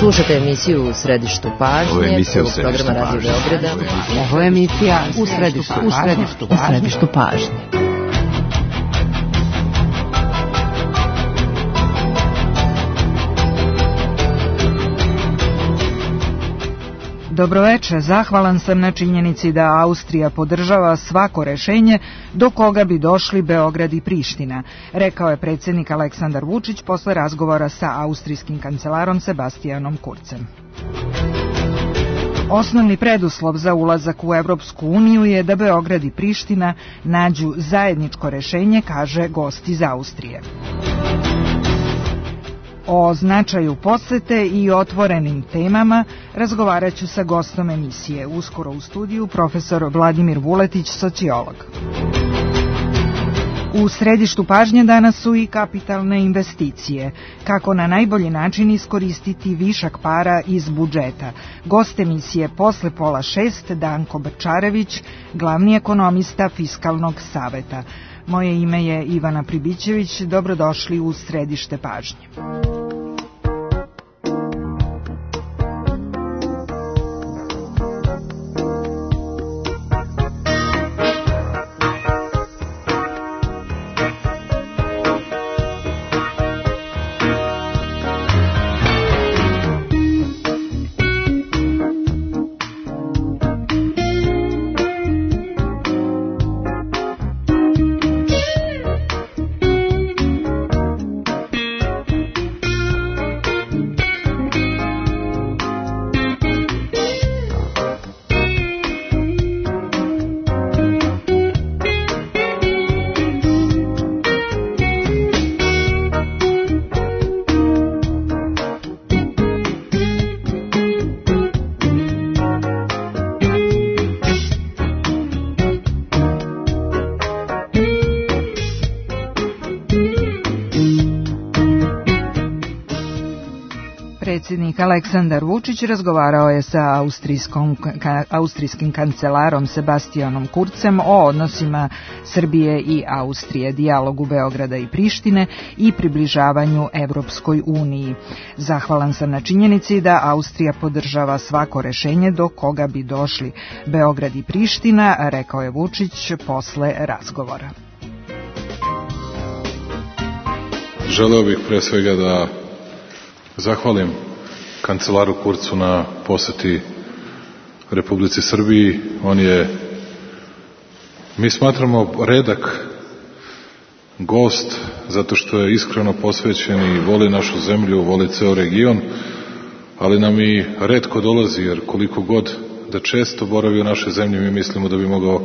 Slušate emisiju U središtu pažnje, prvog programa Radio Beograda. Ovo je emisija U središtu pažnje. Dobroveče, zahvalan sam na činjenici da Austrija podržava svako rešenje do koga bi došli Beograd i Priština, rekao je predsjednik Aleksandar Vučić posle razgovora sa austrijskim kancelarom Sebastianom Kurzem. Osnovni preduslov za ulazak u Evropsku uniju je da Beograd i Priština nađu zajedničko rešenje, kaže gost iz Austrije. O značaju posete i otvorenim temama razgovarat ću sa gostom emisije. Uskoro u studiju profesor Vladimir Vuletić, sociolog. U središtu pažnje danas su i kapitalne investicije. Kako na najbolji način iskoristiti višak para iz budžeta. Gost emisije posle 5:30 Danko Brčarević, glavni ekonomista Fiskalnog saveta. Moje ime je Ivana Pribićević, dobrodošli u središte pažnje. Predsjednik Aleksandar Vučić razgovarao je sa austrijskim kancelarom Sebastianom Kurzem o odnosima Srbije i Austrije, dijalogu Beograda i Prištine i približavanju Evropskoj uniji. Zahvalan sam na činjenici da Austrija podržava svako rešenje do koga bi došli Beograd i Priština, rekao je Vučić posle razgovora. Želeo bih pre svega da zahvalim kancelaru Kurcu na poseti Republici Srbiji. On je, mi smatramo, redak gost zato što je iskreno posvećen i voli našu zemlju, voli ceo region, ali nam i retko dolazi, jer koliko god da često boravi u našoj zemlji, mi mislimo da bi mogao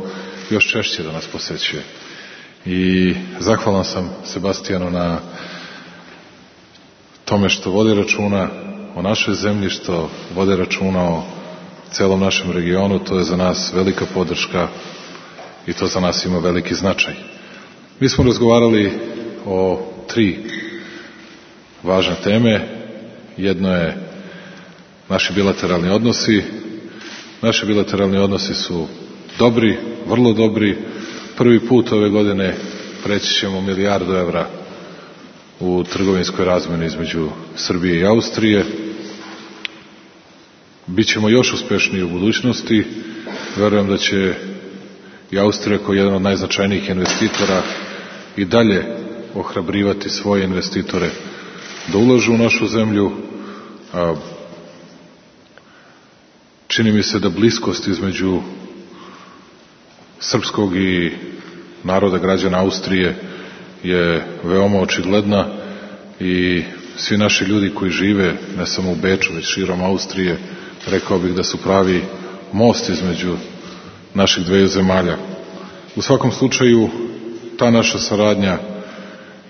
još češće da nas posećuje. I zahvalan sam Sebastijanu na tome što vode računa o našoj zemlji, što vode računa o celom našem regionu. To je za nas velika podrška i to za nas ima veliki značaj. Mi smo razgovarali o 3 važne teme. Jedno je naši bilateralni odnosi. Naši bilateralni odnosi su dobri, vrlo dobri. Prvi put ove godine preći ćemo $1 milijardu u trgovinskoj razmeni između Srbije i Austrije. Bićemo još uspešniji u budućnosti. Verujem da će i Austrija kao jedan od najznačajnijih investitora i dalje ohrabrivati svoje investitore da ulažu u našu zemlju. Čini mi se da bliskost između srpskog i naroda građana Austrije je veoma očigledna i svi naši ljudi koji žive ne samo u Beču, već širom Austrije, rekao bih da su pravi most između naših dveju zemalja. U svakom slučaju, ta naša saradnja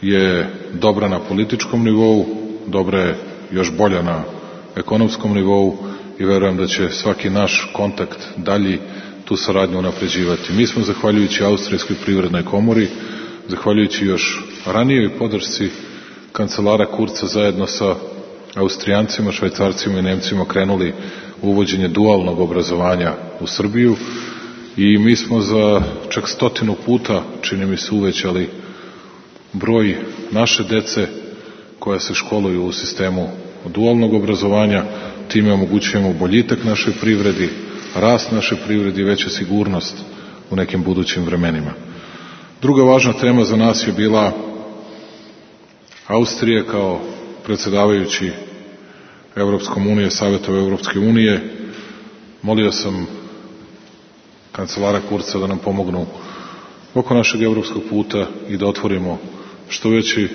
je dobra na političkom nivou, dobra je još bolja na ekonomskom nivou i verujem da će svaki naš kontakt dalji tu saradnju unapređivati. Mi smo, zahvaljujući Austrijskoj privrednoj komori, zahvaljujući još ranijoj podršci kancelara Kurca zajedno sa Austrijancima, Švajcarcima i Nemcima krenuli u uvođenje dualnog obrazovanja u Srbiju i mi smo za čak 100 puta, čini mi se, uvećali broj naše dece koja se školuju u sistemu dualnog obrazovanja, time omogućujemo boljitak našoj privredi, rast našoj privredi i veću sigurnost u nekim budućim vremenima. Druga važna tema za nas je bila Austrija kao predsjedavajući Evropskom unije, Savetom Evropske unije. Molio sam kancelara Kurca da nam pomognu oko našeg evropskog puta i da otvorimo što veći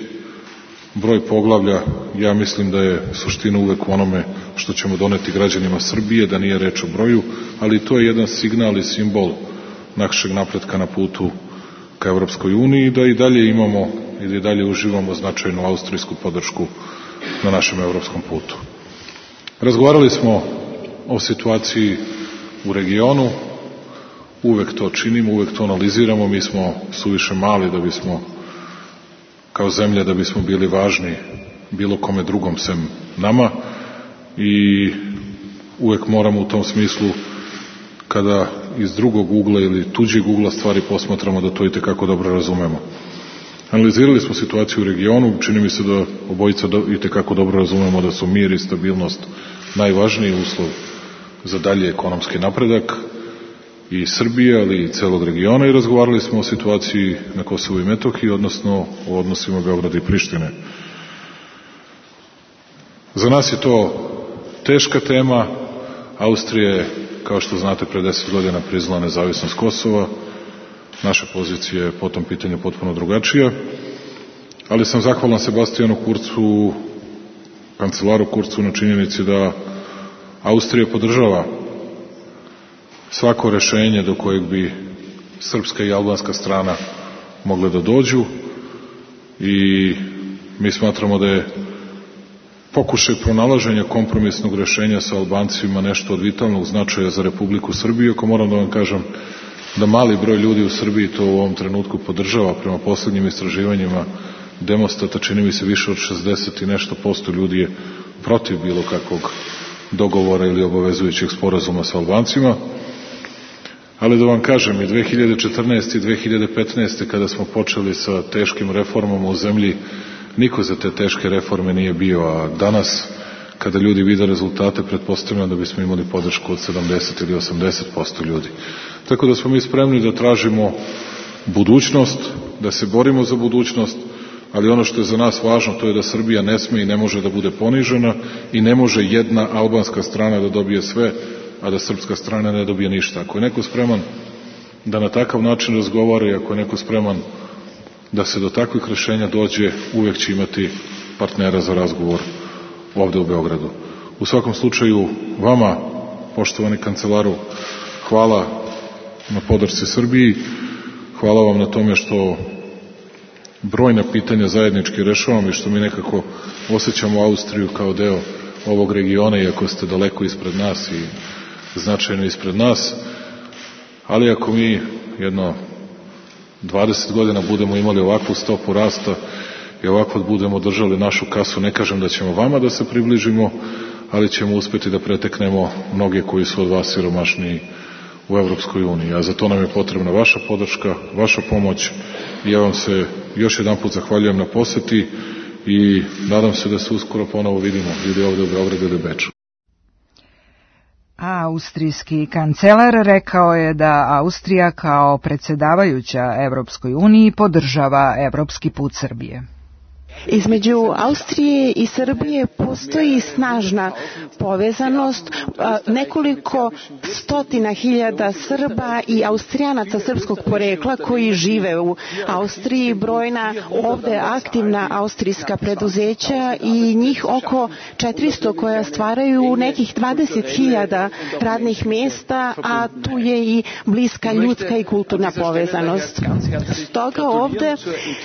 broj poglavlja. Ja mislim da je suština uvek u onome što ćemo doneti građanima Srbije, da nije reč o broju, ali to je jedan signal i simbol našeg napretka na putu ka Evropskoj uniji, da i dalje imamo ili dalje uživamo značajnu austrijsku podršku na našem evropskom putu. Razgovarali smo o situaciji u regionu, uvek to činimo, uvek to analiziramo, mi smo suviše mali da bismo kao zemlja da bismo bili važni bilo kome drugom sem nama i uvek moramo u tom smislu kada iz drugog ugla ili tuđeg ugla stvari posmatramo da to i tekako dobro razumemo. Analizirali smo situaciju u regionu, čini mi se da obojica i tekako dobro razumemo da su mir i stabilnost najvažniji uslov za dalje ekonomski napredak i Srbije, ali i celog regiona i razgovarali smo o situaciji na Kosovu i Metohiji, odnosno o odnosima Beograda i Prištine. Za nas je to teška tema. Austrija je, kao što znate, pre 10 godina priznala nezavisnost Kosova. Naša pozicija je po tom pitanju potpuno drugačija, ali sam zahvalan Sebastijanu Kurcu, kancelaru Kurcu, na činjenici da Austrija podržava svako rešenje do kojeg bi srpska i albanska strana mogle da dođu i mi smatramo da je pokušaj pronalaženja kompromisnog rešenja sa Albancima nešto od vitalnog značaja za Republiku Srbiju, ako moram da vam kažem da mali broj ljudi u Srbiji to u ovom trenutku podržava. Prema poslednjim istraživanjima Demostata čini mi se više od 60 i nešto % ljudi je protiv bilo kakvog dogovora ili obavezujućeg sporazuma sa Albancima. Ali da vam kažem, i 2014. i 2015. kada smo počeli sa teškim reformama u zemlji, niko za te teške reforme nije bio, a danas kada ljudi vide rezultate, pretpostavljam da bismo imali podršku od 70 ili 80% ljudi. Tako da smo mi spremni da tražimo budućnost, da se borimo za budućnost, ali ono što je za nas važno to je da Srbija ne sme i ne može da bude ponižena i ne može jedna albanska strana da dobije sve, a da srpska strana ne dobije ništa. Ako je neko spreman da na takav način razgovara i ako je neko spreman da se do takvih rešenja dođe, uvek će imati partnera za razgovor ovde u Beogradu. U svakom slučaju, vama, poštovani kancelaru, hvala na podršci Srbiji, hvala vam na tome što brojna pitanja zajednički rešavamo i što mi nekako osjećamo Austriju kao deo ovog regiona, iako ste daleko ispred nas i značajno ispred nas, ali ako mi jedno 20 godina budemo imali ovakvu stopu rasta i ovako budemo držali našu kasu, ne kažem da ćemo vama da se približimo, ali ćemo uspeti da preteknemo mnoge koji su od vas siromašniji u Evropskoj uniji. A za to nam je potrebna vaša podrška, vaša pomoć i ja vam se još jedan put zahvaljujem na poseti i nadam se da se uskoro ponovo vidimo ili ovde u Beogradu ili Beču. Austrijski kancelar rekao je da Austrija kao predsjedavajuća Evropskoj uniji podržava evropski put Srbije. Između Austrije i Srbije postoji snažna povezanost. Nekoliko stotina hiljada Srba i Austrijanaca srpskog porekla koji žive u Austriji, brojna ovde aktivna austrijska preduzeća i njih oko 400 koja stvaraju nekih 20.000 radnih mjesta, a tu je i bliska ljudska i kulturna povezanost. Stoga ovde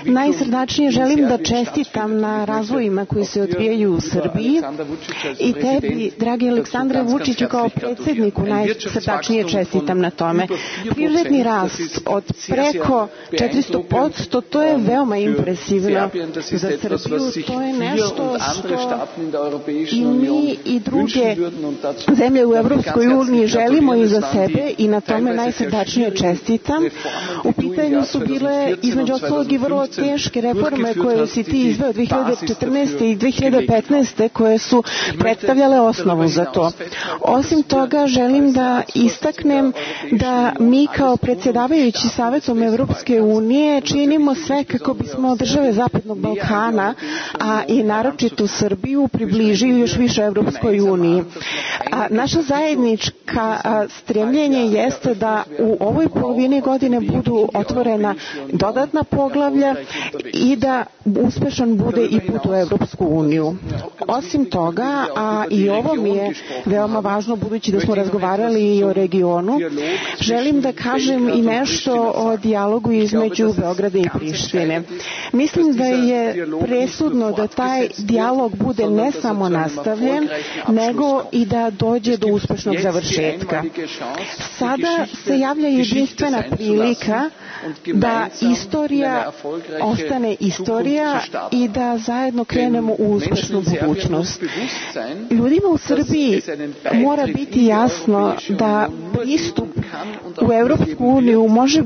najsrdačnije želim da čestitam na razvojima koji se odvijaju u Srbiji i tebi, dragi Aleksandre Vučiću, kao predsjedniku najsrdačnije čestitam na tome. Privredni rast od preko 400%, to je veoma impresivno za Srbiju, to je nešto što i mi i druge zemlje u Evropskoj uniji želimo i za sebe i na tome najsrdačnije čestitam. U pitanju su bile između ostalog i vrlo teške reforme koje si ti izveo 2014. i 2015. koje su predstavljale osnovu za to. Osim toga, želim da istaknem da mi kao predsjedavajući Savetom Evropske unije činimo sve kako bismo države Zapadnog Balkana, a i naročito Srbiju, približili još više Evropskoj uniji. Naša zajednička stremljenje jeste da u ovoj polovini godine budu otvorena dodatna poglavlja i da uspešan bude i put u Evropsku uniju. Osim toga, a i ovo mi je veoma važno budući da smo razgovarali i o regionu, želim da kažem i nešto o dijalogu između Beograda i Prištine. Mislim da je presudno da taj dijalog bude ne samo nastavljen, nego i da dođe do uspešnog završetka. Sada se javlja jedinstvena prilika da istorija ostane istorija i da zajedno krenemo u uspešnu budućnost. Ljudima u Srbiji mora biti jasno da pristup u Evropsku uniju može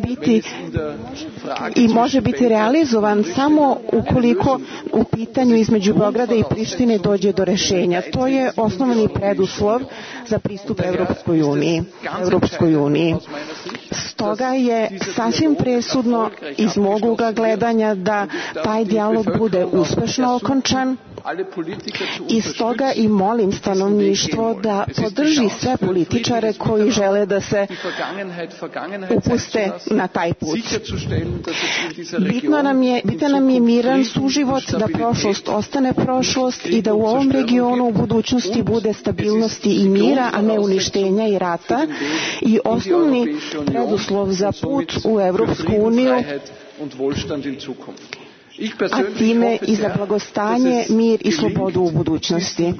biti realizovan samo ukoliko u pitanju između Beograda i Prištine dođe do rešenja. To je osnovni preduslov za pristup Evropskoj uniji. Stoga je sasvim presudno iz mog ugla gledanja da taj dijalog bude uspešno okončan. I stoga i molim stanovništvo da podrži sve političare koji žele da se upuste na taj put. Bitan nam je miran suživot, da prošlost ostane prošlost i da u ovom regionu u budućnosti bude stabilnosti i mira, a ne uništenja i rata. I osnovni preduslov za put u Evropsku uniju, a time i za blagostanje, mir i slobodu u budućnosti.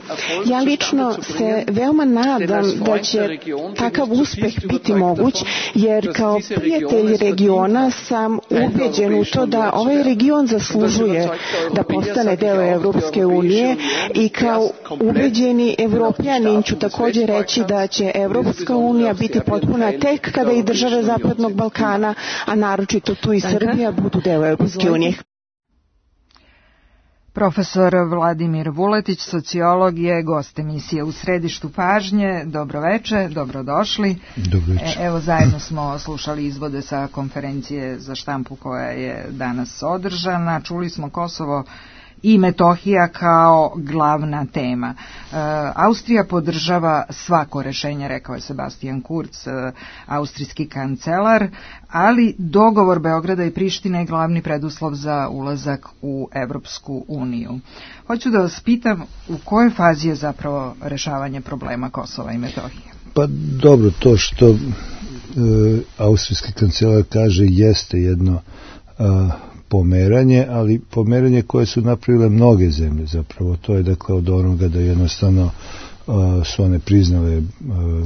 Ja lično se veoma nadam da će takav uspeh biti moguć, jer kao prijatelj regiona sam ubeđen u to da ovaj region zaslužuje da postane deo Evropske unije i kao ubeđeni Evropljanin ću također reći da će Evropska unija biti potpuna tek kada i države Zapadnog Balkana, a naročito tu i Srbija, budu deo Evropske unije. Profesor Vladimir Vuletić, sociolog, je gost emisije U središtu pažnje. Dobro veče, dobrodošli. Dobro veče. Evo, zajedno smo slušali izvode sa konferencije za štampu koja je danas održana. Čuli smo Kosovo i Metohija kao glavna tema. Austrija podržava svako rešenje, rekao je Sebastian Kurz, austrijski kancelar, ali dogovor Beograda i Prištine je glavni preduslov za ulazak u Evropsku uniju. Hoću da vas pitam, u kojoj fazi je zapravo rešavanje problema Kosova i Metohije? Pa dobro, to što austrijski kancelar kaže jeste jedno pomeranje, ali pomeranje koje su napravile mnoge zemlje zapravo. To je dakle od onoga da jednostavno su one priznale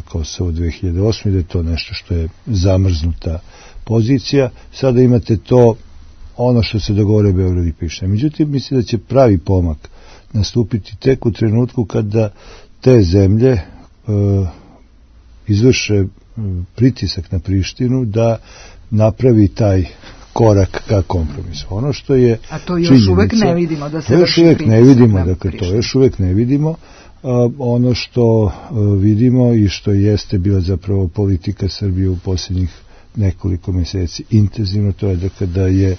Kosovo 2008. da je to nešto što je zamrznuta pozicija. Sada imate to ono što se dogovore Beograd i Priština. Međutim, mislim da će pravi pomak nastupiti tek u trenutku kada te zemlje izvrše pritisak na Prištinu da napravi taj korak ka kompromisu. Ono što je a to još uvek ne vidimo da se vrši pritisak. To još uvek ne vidimo. Ono što vidimo i što jeste bila zapravo politika Srbije u posljednjih nekoliko mjeseci intenzivno, to je da je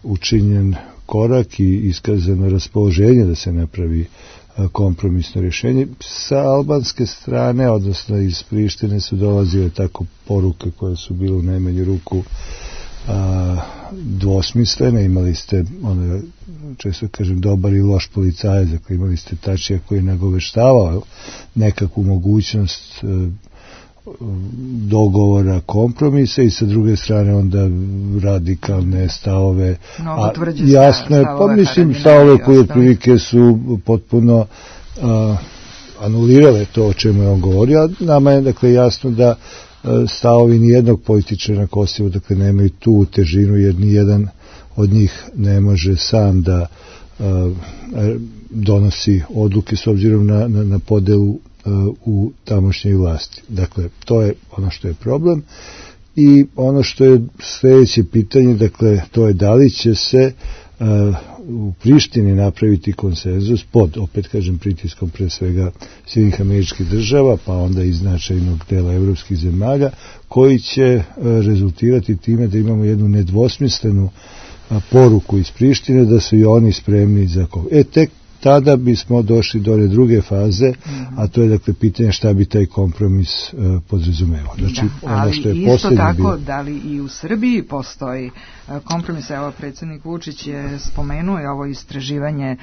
učinjen korak i iskazano raspoloženje da se napravi kompromisno rješenje. Sa albanske strane, odnosno iz Prištine, su dolazile tako poruke koje su bile u najmanju ruku dvosmislene. Imali ste, često kažem, dobar i loš policajac, dakle imali ste Tačija koji je nagoveštavao nekakvu mogućnost dogovora, kompromisa, i sa druge strane onda radikalne stavove. Jasno je, pa mislim stavove koje otprilike su potpuno anulirale to o čemu je on govorio, a nama je dakle jasno da stavovi nijednog političara na Kosovu dakle nemaju tu težinu, jer nijedan od njih ne može sam da donosi odluke s obzirom na podelu u tamošnjoj vlasti. Dakle, to je ono što je problem. I ono što je sljedeće pitanje, dakle, to je da li će se u Prištini napraviti konsenzus pod, opet kažem, pritiskom pre svega Sjedinjenih Američkih Država, pa onda i značajnog dela evropskih zemalja, koji će rezultirati time da imamo jednu nedvosmislenu poruku iz Prištine da su i oni spremni za tek tada bismo došli do one druge faze, a to je dakle pitanje šta bi taj kompromis podrazumevao. Znači, ono što je isto tako, da li i u Srbiji postoji kompromis? Evo, predsjednik Vučić je spomenuo ovo istraživanje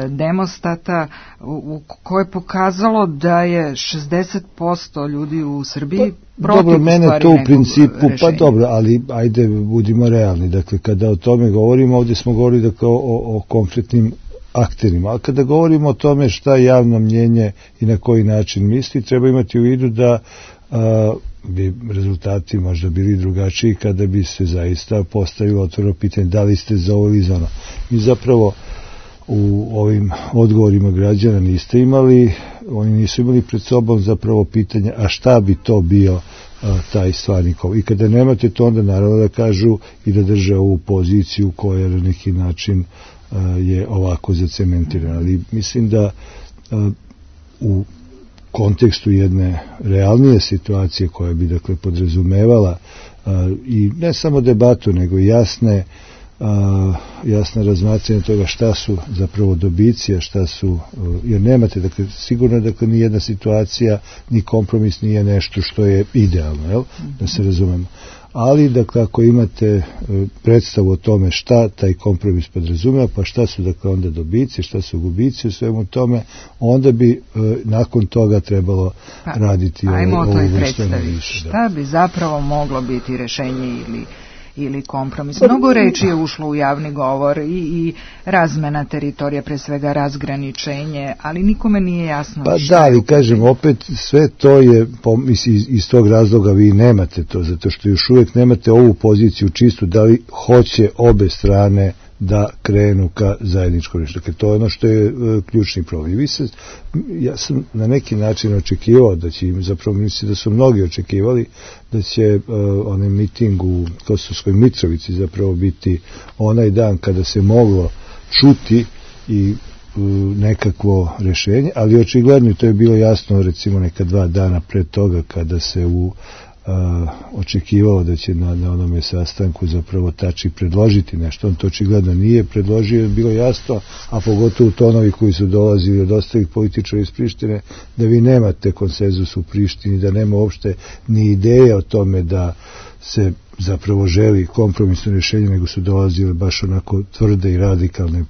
Demostata u koje je pokazalo da je 60% ljudi u Srbiji protiv. Dobro, mene to u principu, pa dobro, ali ajde budimo realni. Dakle, kada o tome govorimo, ovdje smo govorili dakle, o konkretnim akterima. A kada govorimo o tome šta javno mnjenje i na koji način misli, treba imati u vidu da bi rezultati možda bili drugačiji kada bi se zaista postavilo otvoreno pitanje da li ste za ovo ili za ono. Mi zapravo u ovim odgovorima građana niste imali, oni nisu imali pred sobom zapravo pitanje a šta bi to bio taj stvarni kompromis. I kada nemate to, onda naravno da kažu i da drže ovu poziciju koja na neki način je ovako zacementirana. Ali mislim da u kontekstu jedne realnije situacije koja bi dakle podrazumevala i ne samo debatu nego jasne razmatranje toga šta su zapravo dobici, a šta su, jer nemate, dakle, sigurno dakle ni jedna situacija, ni kompromis nije nešto što je idealno, jel? Da se razumemo. Ali, dakle, ako imate predstavu o tome šta taj kompromis podrazumeva, pa šta su, dakle, onda dobici, šta su gubici u svemu tome, onda bi nakon toga trebalo raditi ovu vrstu analize. Šta bi zapravo moglo biti rešenje ili kompromis? Mnogo reči je ušlo u javni govor i razmena teritorija, pre svega razgraničenje, ali nikome nije jasno pa šta. Pa da, ali kažem, opet sve to je, iz tog razloga vi nemate to, zato što još uvijek nemate ovu poziciju čistu, da li hoće obe strane da krenu ka zajedničkom rešenju. Dakle, to je ono što je ključni problem. Ja sam na neki način očekivao da će im, zapravo mislim da su mnogi očekivali da će onaj miting u Kosovskoj Mitrovici zapravo biti onaj dan kada se moglo čuti i nekakvo rešenje, ali očigledno to je bilo jasno recimo neka 2 dana pred toga kada se očekivalo da će na onome sastanku zapravo Tači predložiti nešto. On to očigledno nije predložio, je bilo jasno, a pogotovo tonovi koji su dolazili od ostalih političara iz Prištine, da vi nemate konsenzus u Prištini, da nema uopšte ni ideje o tome da se zapravo želi kompromisno rješenje, nego su dolazile baš onako tvrde i radikalne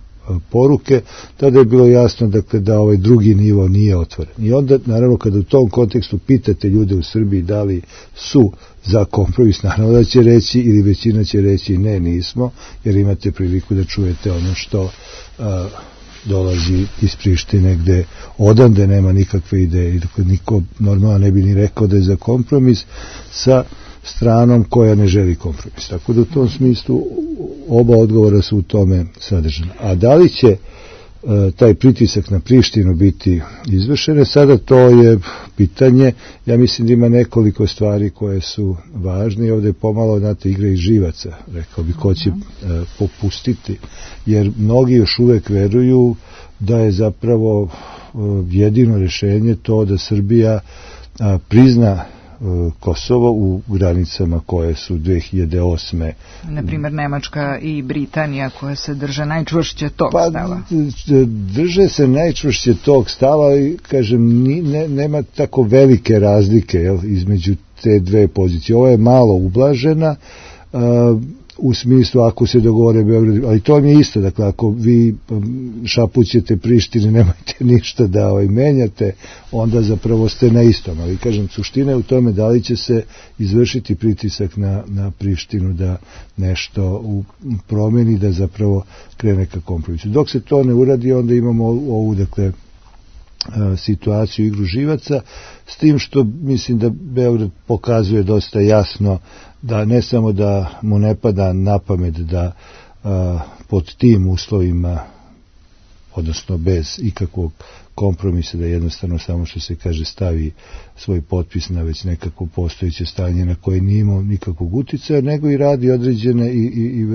poruke, tada je bilo jasno dakle, da ovaj drugi nivo nije otvoren. I onda, naravno, kada u tom kontekstu pitate ljude u Srbiji da li su za kompromis, naravno da će reći ili većina će reći ne, nismo, jer imate priliku da čujete ono što dolazi iz Prištine gde odande nema nikakve ideje i dakle, niko normalno ne bi ni rekao da je za kompromis sa stranom koja ne želi kompromis. Tako da u tom smislu oba odgovora su u tome sadržana. A da li će taj pritisak na Prištinu biti izvršene, sada to je pitanje. Ja mislim da ima nekoliko stvari koje su važne i ovdje je pomalo, znate, igra iz živaca, rekao bi, ko će popustiti, jer mnogi još uvek veruju da je zapravo jedino rješenje to da Srbija prizna Kosovo u granicama koje su 2008. Naprimjer Nemačka i Britanija koje se drže najčvršće tog stava. Drže se najčvršće tog stava i kažem nema tako velike razlike između te dve pozicije. Ova je malo ublažena u smislu ako se dogovore Beograd, ali to mi je isto, dakle ako vi šapućete Prištine, nemojte ništa da menjate, onda zapravo ste na istom, ali kažem, suština je u tome da li će se izvršiti pritisak na Prištinu da nešto promeni, da zapravo krene ka kompromisu. Dok se to ne uradi, onda imamo ovu, dakle, situaciju, igru živaca, s tim što mislim da Beograd pokazuje dosta jasno da ne samo da mu ne pada na pamet da pod tim uslovima odnosno bez ikakvog kompromisa, da jednostavno samo što se kaže stavi svoj potpis na već nekako postojeće stanje na koje nije imao nikakvog uticaja, nego i radi određene i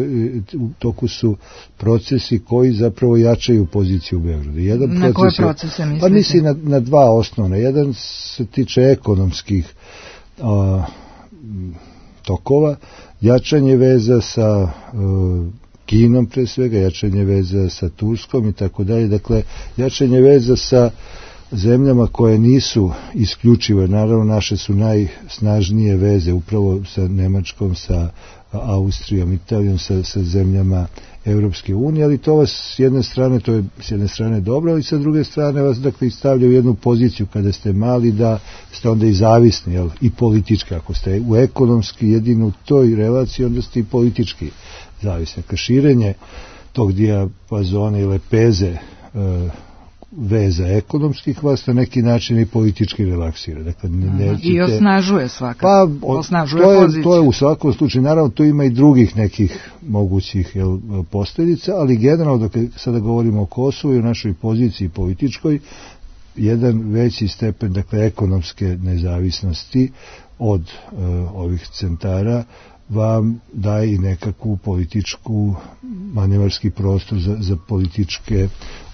u toku su procesi koji zapravo jačaju poziciju u Beogradu. Na koje procese mislite? Pa mislim na dva osnovna. Jedan se tiče ekonomskih tokova, jačanje veza sa Kinom pre svega, jačanje veza sa Turskom i tako dalje. Dakle, jačanje veza sa zemljama koje nisu isključive, naravno naše su najsnažnije veze upravo sa Nemačkom, sa Austrijom, Italijom, sa zemljama Evropske unije, ali to vas s jedne strane dobro, ali sa druge strane vas dakle stavlja u jednu poziciju kada ste mali da ste onda i zavisni, jel? I politički, ako ste u ekonomski jedino u toj relaciji, onda ste i politički zavisni. Širenje tog dijapazona i lepeze veza ekonomskih vas na neki način i politički relaksira. Dakle, i osnažuje svakako. Pa, osnažuje poziciju. To je u svakom slučaju. Naravno, tu ima i drugih nekih mogućih posljedica, ali generalno, dok sada govorimo o Kosovu i o našoj poziciji političkoj, jedan veći stepen, dakle, ekonomske nezavisnosti od ovih centara vam daje i nekakvu političku manevarski prostor za političke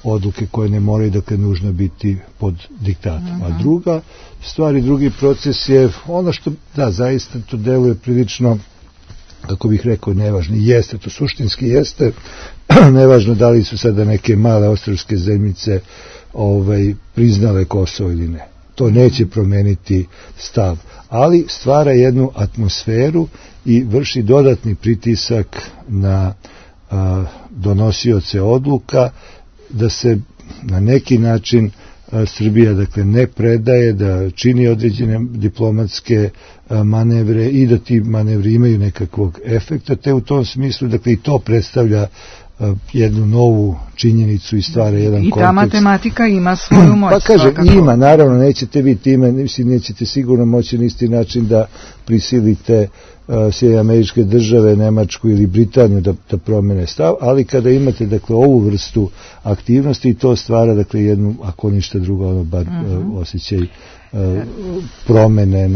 odluke koje ne moraju dakle nužno biti pod diktatom. A druga stvar i drugi proces je ono što da zaista to deluje prilično, kako bih rekao, nevažno. Jeste, to suštinski jeste, nevažno da li su sada neke male ostrvske zemljice priznale Kosovo ili ne. To neće promeniti stav, ali stvara jednu atmosferu i vrši dodatni pritisak na donosioce odluka da se na neki način Srbija dakle ne predaje, da čini određene diplomatske manevre i da ti manevri imaju nekakvog efekta, te u tom smislu dakle i to predstavlja jednu novu činjenicu i stvara jedan kontekst. I ta matematika ima svoju moć. Pa kaže, ima, naravno, nećete vi time, nećete sigurno moći na isti način da prisilite Sjedinjene Američke Države, Nemačku ili Britaniju da promene stav, ali kada imate dakle ovu vrstu aktivnosti, to stvara dakle jednu, ako ništa drugo, bar osjećaj promene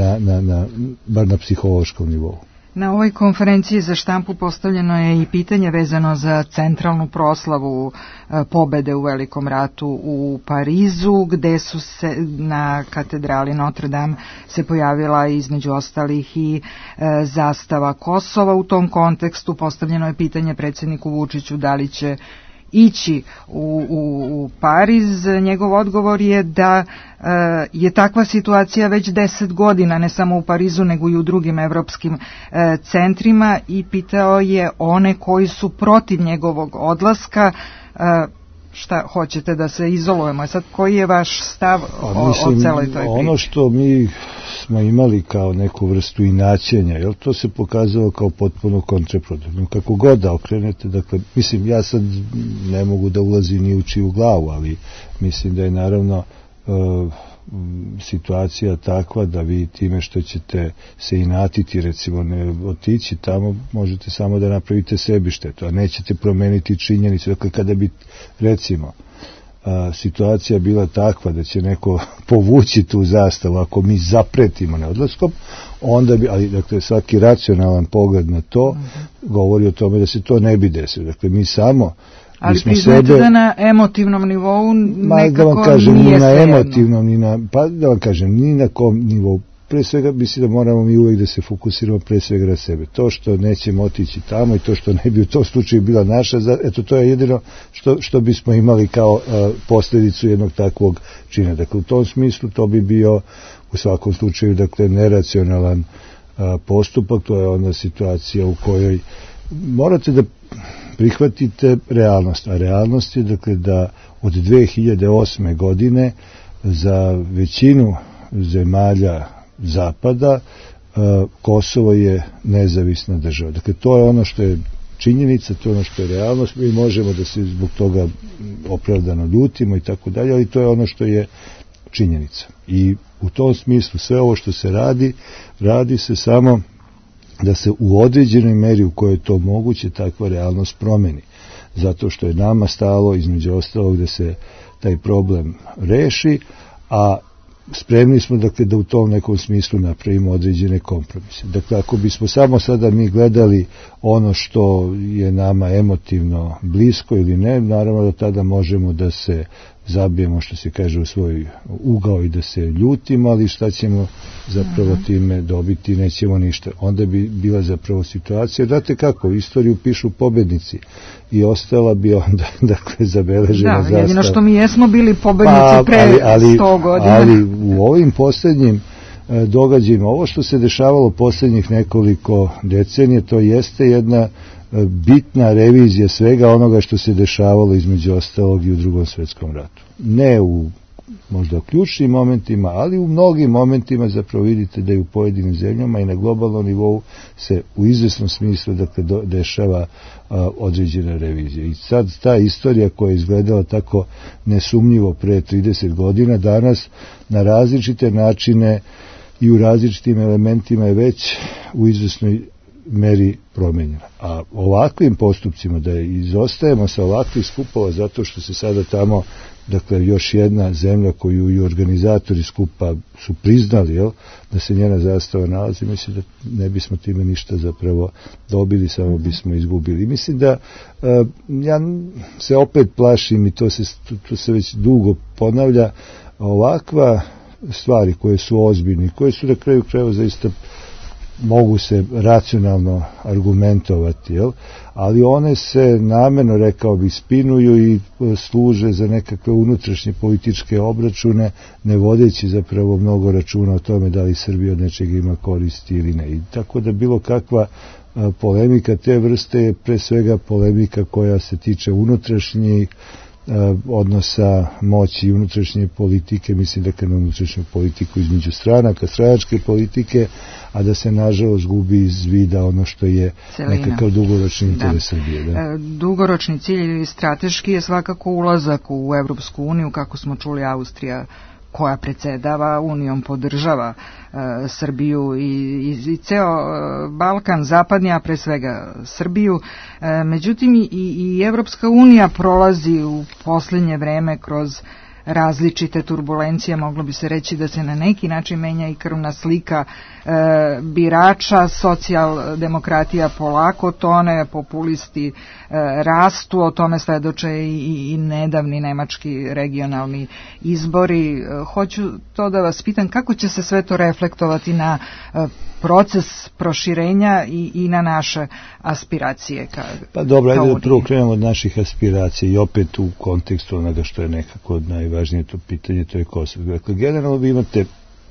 bar na psihološkom nivou. Na ovoj konferenciji za štampu postavljeno je i pitanje vezano za centralnu proslavu pobede u Velikom ratu u Parizu, gde su se na katedrali Notre Dame se pojavila između ostalih i zastava Kosova. U tom kontekstu postavljeno je pitanje predsjedniku Vučiću da li će ići u Pariz. Njegov odgovor je da je takva situacija već 10 godina, ne samo u Parizu nego i u drugim evropskim centrima, i pitao je one koji su protiv njegovog odlaska šta hoćete, da se izolujemo. Sad, koji je vaš stav o celoj toj priči? Ono što mi smo imali kao neku vrstu inaćenja, jel, to se pokazalo kao potpuno kontraproduktivno. Kako god da okrenete, dakle, mislim, ja sad ne mogu da ulazim ni u čiju glavu, ali mislim da je naravno situacija takva da vi time što ćete se inatiti, recimo ne otići tamo, možete samo da napravite sebi štetu, a nećete promeniti činjenicu. Dakle, kada bi recimo situacija bila takva da će neko povući tu zastavu ako mi zapretimo neodlaskom, onda bi, ali dakle svaki racionalan pogled na to govori o tome da se to ne bi desilo. Dakle, mi samo ali priznajte da na emotivnom nivou nekako nije svejedno. Da vam kažem, ni na kom nivou. Pre svega mislim da moramo mi uvijek da se fokusiramo pre svega na sebe. To što nećemo otići tamo i to što ne bi u tom slučaju bila naša, eto to je jedino što bismo imali kao posljedicu jednog takvog čina. Dakle, u tom smislu to bi bio u svakom slučaju dakle neracionalan postupak. To je ona situacija u kojoj morate da prihvatite realnost, a realnost je dakle da od 2008. godine za većinu zemalja Zapada Kosovo je nezavisna država. Dakle, to je ono što je činjenica, to je ono što je realnost. Mi možemo da se zbog toga opravdano ljutimo i tako dalje, ali to je ono što je činjenica. I u tom smislu sve ovo što se radi se samo da se u određenoj meri u kojoj je to moguće takva realnost promeni. zato što je nama stalo između ostalog da se taj problem reši, a spremni smo dakle da u tom nekom smislu napravimo određene kompromise. Dakle, ako bismo samo sada mi gledali ono što je nama emotivno blisko ili ne, naravno da tada možemo da se zabijemo, što se kaže, u svoj ugao i da se ljutimo, ali šta ćemo zapravo time dobiti, nećemo ništa. Onda bi bila zapravo situacija, znate kako, istoriju pišu pobednici i ostala bi onda, dakle, zabeležena zastava. Da, jedino što mi jesmo bili pobednici pre 100 godina. Ali u ovim posljednjim događajima, ovo što se dešavalo posljednjih nekoliko decenije, to jeste jedna bitna revizija svega onoga što se dešavalo između ostalog i u Drugom svjetskom ratu. Ne u možda ključnim momentima, ali u mnogim momentima zapravo vidite da i u pojedinim zemljama i na globalnom nivou se u izvesnom smislu dakle, dešava određena revizija. I sad ta istorija koja je izgledala tako nesumnjivo pre 30 godina, danas na različite načine i u različitim elementima je već u izvesnoj meri promenjena. A ovakvim postupcima da izostajemo sa ovakvih skupova zato što se sada tamo, dakle, još jedna zemlja koju i organizatori skupa su priznali, jel, da se njena zastava nalazi, mislim da ne bismo time ništa zapravo dobili, samo bismo izgubili. Mislim da ja se opet plašim i to se već dugo ponavlja, ovakva stvari koje su ozbiljne, koje su na kraju krajeva zaista mogu se racionalno argumentovati, jel? Ali one se namjerno, rekao bi, spinuju i služe za nekakve unutrašnje političke obračune, ne vodeći zapravo mnogo računa o tome da li Srbija od nečega ima koristi ili ne. I tako da bilo kakva polemika te vrste je pre svega polemika koja se tiče unutrašnjih odnosa moći i unutrašnje politike, mislim da na unutrašnju politiku između stranaka, stranačke politike, a da se nažalost gubi iz vida ono što je nekakav dugoročni interes Srbije. Da. Dugoročni cilj ili strateški je svakako ulazak u Evropsku uniju, kako smo čuli, Austrija koja predsjedava Unijom podržava Srbiju i ceo Balkan, zapadni, a pre svega Srbiju. Međutim, i Evropska unija prolazi u posljednje vreme kroz različite turbulencije, moglo bi se reći da se na neki način menja i krvna slika birača, socijaldemokratija polako tone, populisti rastu, o tome svedoče i nedavni nemački regionalni izbori. Hoću to da vas pitam, kako će se sve to reflektovati na proces proširenja i na naše aspiracije? Pa dobro, ajde da prvo krenemo od naših aspiracija i opet u kontekstu onoga što je nekako najvažnije to pitanje, to je Kosovo. Dakle, generalno vi imate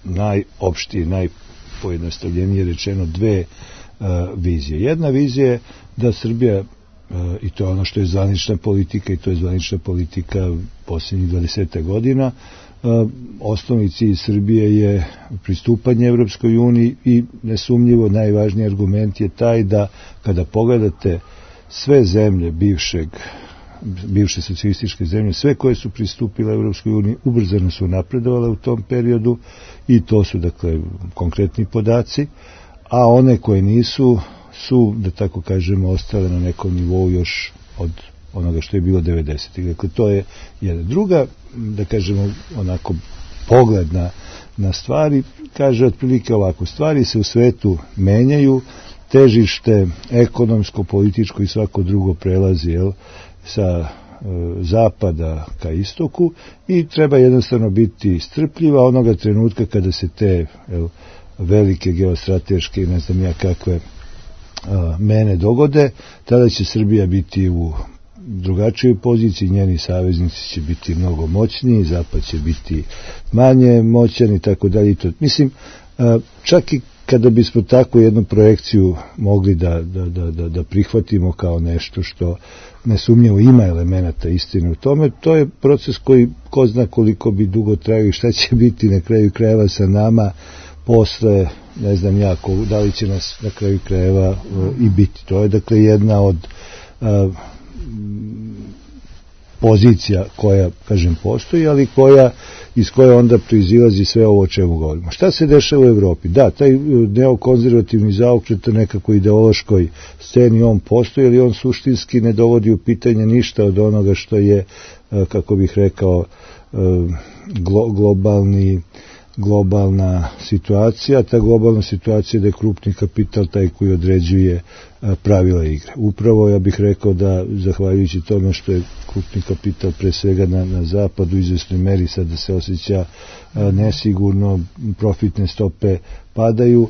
najopštije, najpojednostavljenije rečeno dve vizije. Jedna vizija je da Srbija, i to je ono što je zvanična politika, i to je zvanična politika posljednjih 20 godina, osnovni cilj Srbije je pristupanje Evropskoj uniji i nesumnjivo najvažniji argument je taj da kada pogledate sve zemlje bivše socijalističke zemlje, sve koje su pristupile Evropskoj uniji ubrzano su napredovale u tom periodu i to su dakle konkretni podaci, a one koje nisu su, da tako kažemo, ostale na nekom nivou još od onoga što je bilo 90. Dakle, to je jedna. Druga, da kažemo, onako pogled na stvari, kaže otprilike ovako, stvari se u svetu menjaju, težište ekonomsko, političko i svako drugo prelazi, jel, sa zapada ka istoku i treba jednostavno biti strpljiva onoga trenutka kada se te velike geostrateške i ne znam ja kakve mene dogode, tada će Srbija biti u drugačijoj poziciji, njeni saveznici će biti mnogo moćniji, zapad će biti manje moćan i tako dalje. Mislim, čak i kada bismo takvu jednu projekciju mogli da prihvatimo kao nešto što nesumnjivo ima elemenata istine u tome, to je proces koji ko zna koliko bi dugo trajao i šta će biti na kraju krajeva sa nama posle, ne znam jako, da li će nas na kraju krajeva i biti. To je dakle jedna od pozicija koja, kažem, postoji, ali iz koje onda proizilazi sve ovo o čemu govorimo. Šta se dešava u Evropi? Da, taj neokonzervativni zaokret nekako ideološkoj sceni, on postoji, ali on suštinski ne dovodi u pitanje ništa od onoga što je, kako bih rekao, globalna situacija. Ta globalna situacija da je krupni kapital taj koji određuje pravila igre. Upravo ja bih rekao da, zahvaljujući tome što je krupni kapital pre svega na zapadu u izvesnoj meri sada se osjeća nesigurno, profitne stope padaju,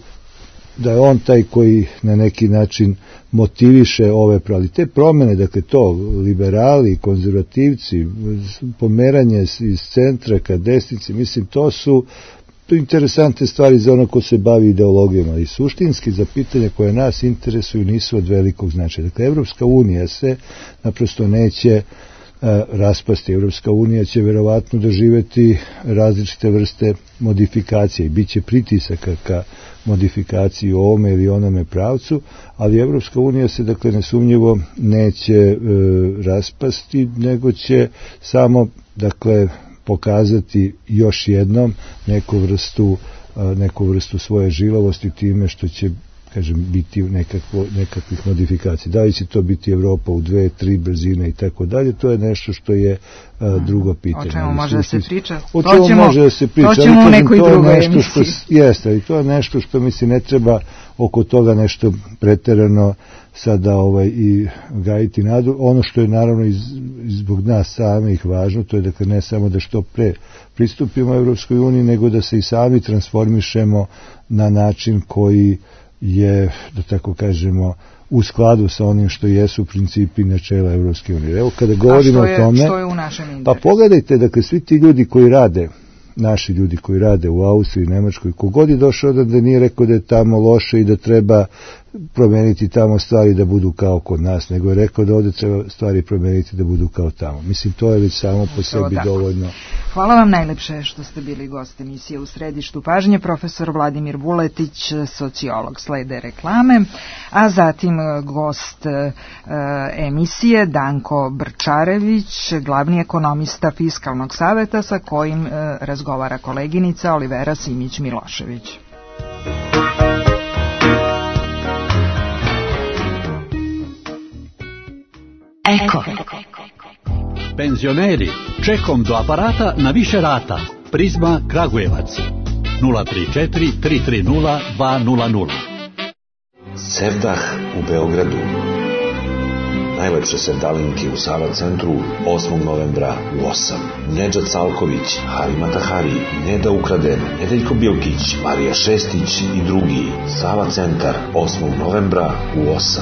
da je on taj koji na neki način motiviše ove pravili. Te promene, dakle to, liberali, konzervativci, pomeranje iz centra ka desnici, mislim, to su interesantne stvari za ono ko se bavi ideologijom, ali suštinski za pitanje koje nas interesuju nisu od velikog značaja. Dakle, Evropska unija se naprosto neće raspasti. Evropska unija će verovatno doživeti različite vrste modifikacije i bit će pritisaka ka modifikaciji u ovome ili onome pravcu, ali Evropska unija se, dakle, nesumnjivo neće raspasti, nego će samo, dakle, pokazati još jednom neku vrstu svoje žilavosti time što će, kažem, biti nekakvih modifikacija. Da li će to biti Evropa u 2, 3 brzine i tako dalje, to je nešto što je drugo pitanje. O čemu može da se priča? O čemu može da se priča? To ćemo u nekoj drugoj emisiji. Jeste, ali to je nešto što mi se ne treba oko toga nešto preterano sada i gajiti nadu. Ono što je naravno zbog nas samih važno, to je, dakle, ne samo da što pre pristupimo Evropskoj uniji, nego da se i sami transformišemo na način koji je, da tako kažemo, u skladu sa onim što jesu principi i načela Evropske unije. Evo, kada govorimo o tome, što je u našem interesu? Pa pogledajte, dakle, svi ti ljudi koji rade, naši ljudi koji rade u Austriji, Nemačkoj, kogod je došao da nije rekao da je tamo loše i da treba promeniti tamo stvari da budu kao kod nas, nego je rekao da ovde treba stvari promeniti da budu kao tamo. Mislim, to je već samo po sebi dovoljno. Hvala vam najlepše što ste bili gost emisije U središtu pažnje, profesor Vladimir Vuletić, sociolog. Slede reklame, a zatim gost emisije Danko Brčarević, glavni ekonomista Fiskalnog saveta, sa kojim razgovara koleginica Olivera Simić-Milošević. Eko. Penzioneri, čekom do aparata na više rata. Prizma Kragujevac 034 330 200. Sevdah u Beogradu. Najlepše sevdalinke u Sava centru 8. novembra u 8. Nedžad Salković, Harima Tahari, Neda Ukraden, Nedeljko Bilkić, Marija Šestić i drugi. Sava centar 8. novembra u 8.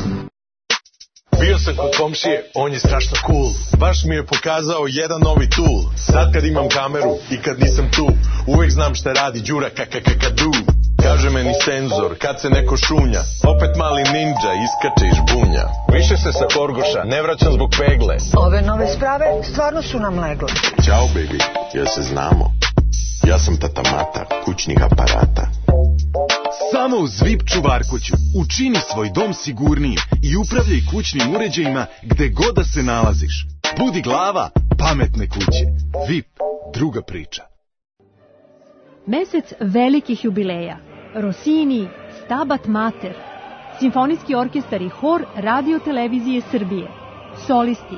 Bio sam kod komšije, on je strašno cool. Baš mi je pokazao jedan novi tool. Sad kad imam kameru i kad nisam tu, uvek znam šta radi Đura kakakakadu. Kaže meni senzor, kad se neko šunja, opet mali ninja iskače iz žbunja. Više se sa Korgoša, ne vraćam zbog pegle. Ove nove sprave stvarno su nam legle. Ćao baby, jel se znamo? Ja sam tata Mata, kućnih aparata. Samo uz VIP čuvarkuću učini svoj dom sigurnijim i upravljaj kućnim uređajima gde god da se nalaziš. Budi glava pametne kuće. VIP, druga priča. Mesec velikih jubileja. Rossini, Stabat Mater, Simfonijski orkestar i hor Radio Televizije Srbije. Solisti: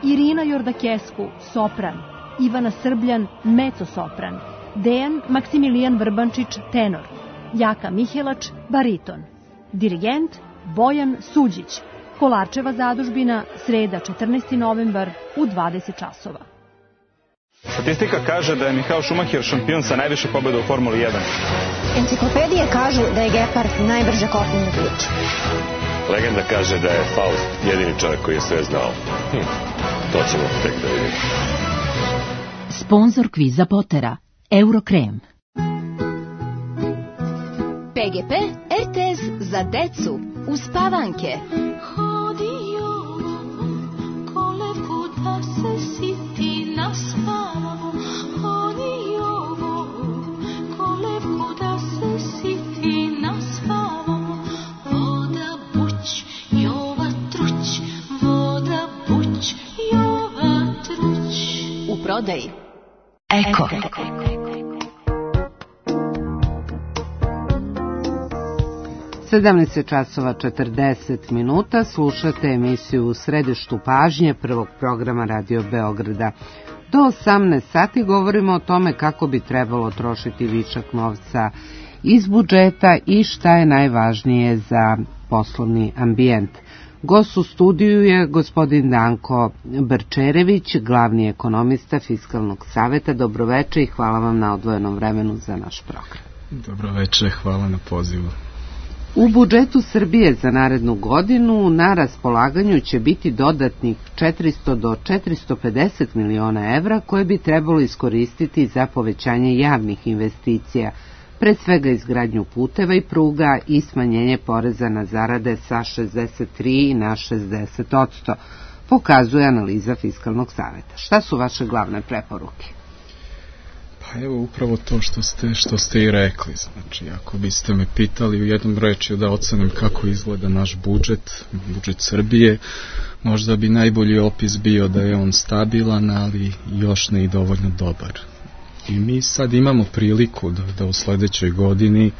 Irina Jordakesku, sopran, Ivana Srbljan, mezzo-sopran, Dejan Maksimilijan Vrbančić, tenor, Jaka Mihelač, bariton. Dirigent Bojan Suđić. Kolarčeva zadužbina, sreda 14. novembar u 20 časova. Statistika kaže da je Michael Schumacher šampion sa najviše pobjeda u Formuli 1. Enciklopedije kažu da je Gepard najbrže kopnena bića. Legenda kaže da je Faust jedini čovjek koji je sve znao. To ćemo tek da vidimo. Sponzor kviza Potera, Eurokrem. PGP RTS za decu uspavanke. Hodio kolevku da se siti naspavamo. Hodio kolevku da se siti naspavamo. Voda buć, Jova truć, voda buć, Jova truć. prodaji. Eko. 17 časova 40 minuta, slušate emisiju U središtu pažnje prvog programa Radio Beograda. Do 18 sati govorimo o tome kako bi trebalo trošiti višak novca iz budžeta i šta je najvažnije za poslovni ambijent. Gost u studiju je gospodin Danko Brčerević, glavni ekonomista Fiskalnog saveta. Dobroveče i hvala vam na odvojenom vremenu za naš program. Dobroveče, hvala na pozivu. U budžetu Srbije za narednu godinu na raspolaganju će biti dodatnih 400 do 450 miliona evra koje bi trebalo iskoristiti za povećanje javnih investicija, pre svega izgradnju puteva i pruga i smanjenje poreza na zarade sa 63 na 60%, pokazuje analiza Fiskalnog saveta. Šta su vaše glavne preporuke? Pa evo upravo to što ste i rekli. Znači, ako biste me pitali u jednom rečju da ocenim kako izgleda naš budžet Srbije, možda bi najbolji opis bio da je on stabilan, ali još ne i dovoljno dobar. I mi sad imamo priliku da u sledećoj godini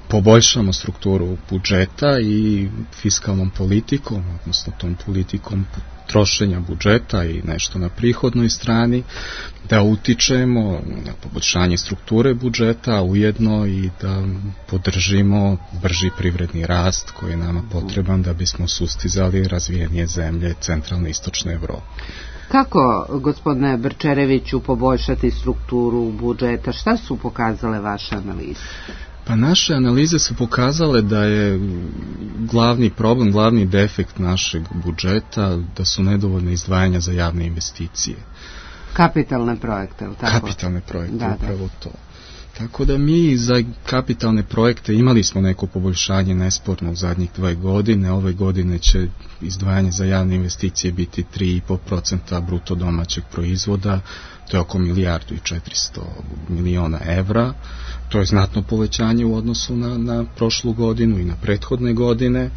poboljšamo strukturu budžeta i fiskalnom politikom, odnosno tom politikom trošenja budžeta i nešto na prihodnoj strani, da utičemo na poboljšanje strukture budžeta, ujedno i da podržimo brži privredni rast koji je nama potreban da bismo sustizali razvijenije zemlje centralne i istočne Evrope. Kako, gospodine Brčereviću, poboljšati strukturu budžeta? Šta su pokazale vaše analize? Pa naše analize su pokazale da je glavni problem, glavni defekt našeg budžeta da su nedovoljne izdvajanja za javne investicije. Kapitalne projekte, ili tako? Kapitalne projekte, upravo to. Tako da mi za kapitalne projekte imali smo neko poboljšanje nesporno u zadnjih 2 godine. Ove godine će izdvajanje za javne investicije biti 3,5% bruto domaćeg proizvoda, to je oko 1,4 milijarde evra. To je znatno povećanje u odnosu na prošlu godinu i na prethodne godine,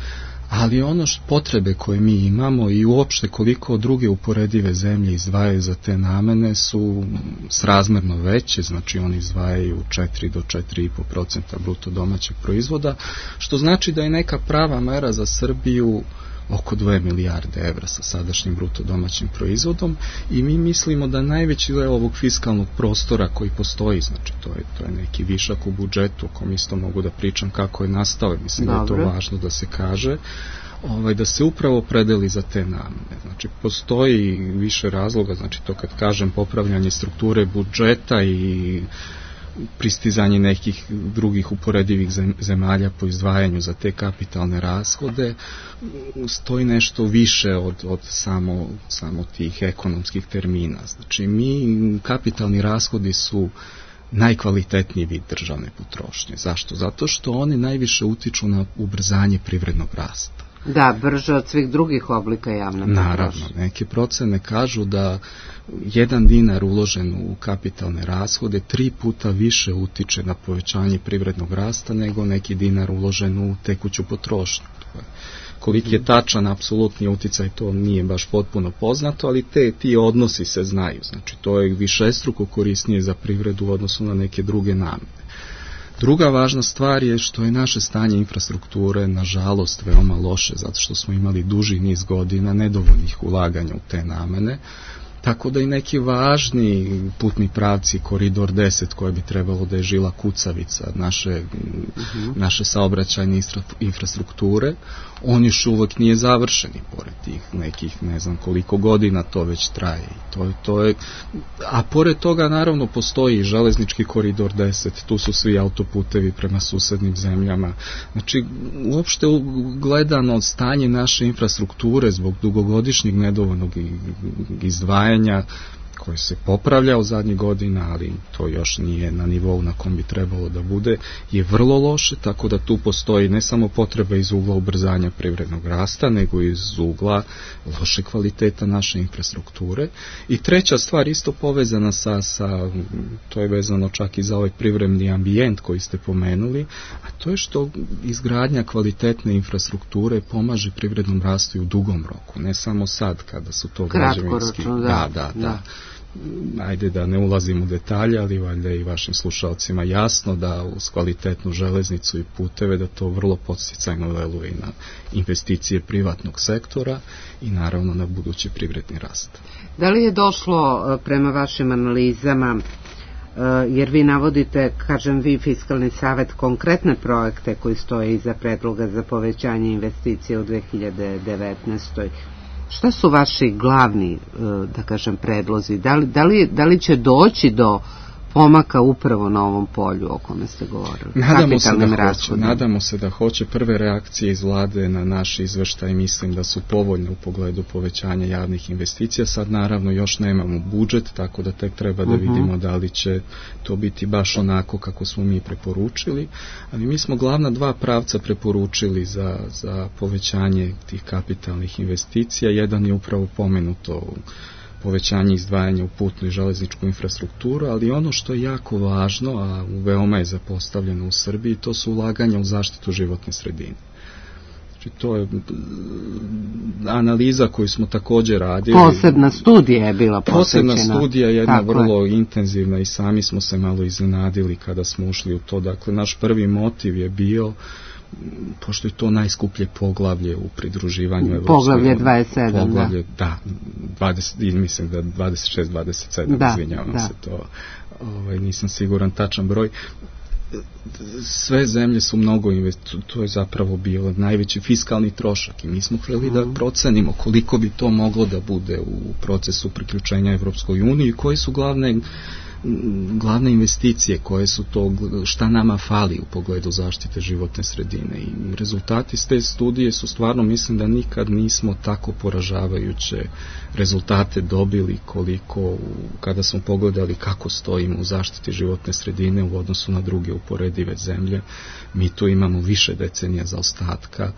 ali ono potrebe koje mi imamo i uopšte koliko druge uporedive zemlje izdvajaju za te namene su srazmerno veće, znači oni izdvajaju 4 do 4,5% bruto domaćeg proizvoda, što znači da je neka prava mera za Srbiju oko 2 milijarde evra sa sadašnjim bruto domaćim proizvodom i mi mislimo da najveći deo ovog fiskalnog prostora koji postoji, znači to je neki višak u budžetu, o kom isto mogu da pričam kako je nastao, mislim da je to važno da se kaže, da se upravo predeli za te namene. Znači postoji više razloga, znači to kad kažem popravljanje strukture budžeta i pristizanje nekih drugih uporedivih zemalja po izdvajanju za te kapitalne rashode, stoji nešto više od samo tih ekonomskih termina. Znači, kapitalni rashodi su najkvalitetniji vid državne potrošnje. Zašto? Zato što oni najviše utiču na ubrzanje privrednog rasta. Da, brže od svih drugih oblika javne potrošnje. Naravno, neke procene kažu da 1 dinar uložen u kapitalne rashode 3 puta više utiče na povećanje privrednog rasta nego neki dinar uložen u tekuću potrošnju. Koliki je tačan apsolutni uticaj, to nije baš potpuno poznato, ali ti odnosi se znaju. Znači, to je višestruko korisnije za privredu u odnosu na neke druge namene. Druga važna stvar je što je naše stanje infrastrukture nažalost veoma loše, zato što smo imali duži niz godina nedovoljnih ulaganja u te namene, tako da i neki važni putni pravci, koridor 10 koje bi trebalo da je žila kucavica naše saobraćajne infrastrukture, on još uvijek nije završen i pored tih nekih ne znam koliko godina to već traje. A pored toga naravno postoji i železnički koridor 10, tu su svi autoputevi prema susednim zemljama. Znači uopšte gledano stanje naše infrastrukture zbog dugogodišnjeg nedovoljnog izdvajanja koji se popravlja u zadnjih godina, ali to još nije na nivou na kom bi trebalo da bude, je vrlo loše, tako da tu postoji ne samo potreba iz ugla ubrzanja privrednog rasta, nego iz ugla loše kvaliteta naše infrastrukture. I treća stvar, isto povezana to je vezano čak i za ovaj privremeni ambijent koji ste pomenuli, a to je što izgradnja kvalitetne infrastrukture pomaže privrednom rastu i u dugom roku, ne samo sad kada su to građevinski. Da. ajde da ne ulazim u detalje, ali valjda i vašim slušalcima jasno da uz kvalitetnu železnicu i puteve da to vrlo podsticajno veluje na investicije privatnog sektora i naravno na budući privredni rast. Da li je došlo prema vašim analizama, jer vi navodite, kažem vi, Fiskalni savet, konkretne projekte koji stoje iza predloga za povećanje investicije u 2019. Šta su vaši glavni, da kažem, predlozi? Da li će doći do pomaka upravo na ovom polju o kome ste govorili? Nadamo se da hoće. Prve reakcije iz vlade na naš izveštaj mislim da su povoljne u pogledu povećanja javnih investicija. Sad naravno još nemamo budžet, tako da tek treba da vidimo da li će to biti baš onako kako smo mi preporučili, ali mi smo glavna dva pravca preporučili za povećanje tih kapitalnih investicija. Jedan je upravo pomenuto povećanje izdvajanja u putnu i železničku infrastrukturu, ali ono što je jako važno, a veoma je zapostavljeno u Srbiji, to su ulaganja u zaštitu životne sredine. Znači, to je analiza koju smo također radili. Posebna studija je bila posvećena. Posebna studija, jedna vrlo intenzivna, i sami smo se malo iznenadili kada smo ušli u to. Dakle, naš prvi motiv je bio, pošto je to najskuplje poglavlje u pridruživanju Evropske poglavlje 27, poglavlje, da 20, mislim da 26-27, izvinjavam se, to nisam siguran tačan broj. Sve zemlje su mnogo to je zapravo bio najveći fiskalni trošak i mi smo htjeli da procenimo koliko bi to moglo da bude u procesu priključenja Evropskoj uniji i koje su glavne investicije, koje su to, šta nama fali u pogledu zaštite životne sredine, i rezultati s te studije su stvarno, mislim da nikad nismo tako poražavajuće rezultate dobili koliko kada smo pogledali kako stojimo u zaštiti životne sredine u odnosu na druge uporedive zemlje. Mi tu imamo više decenija zaostatka.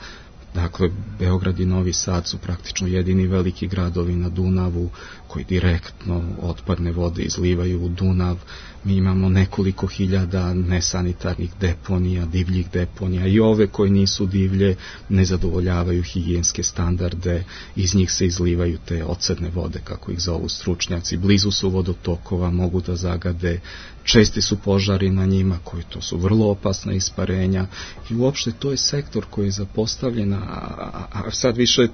Dakle, Beograd i Novi Sad su praktično jedini veliki gradovi na Dunavu koji direktno otpadne vode izlivaju u Dunav. Mi imamo nekoliko hiljada nesanitarnih deponija, divljih deponija, i ove koje nisu divlje ne zadovoljavaju higijenske standarde, iz njih se izlivaju te ocedne vode, kako ih zovu stručnjaci, blizu su vodotokova, mogu da zagade, česti su požari na njima, koji to su vrlo opasna isparenja, i uopšte to je sektor koji je zapostavljen, a sad više,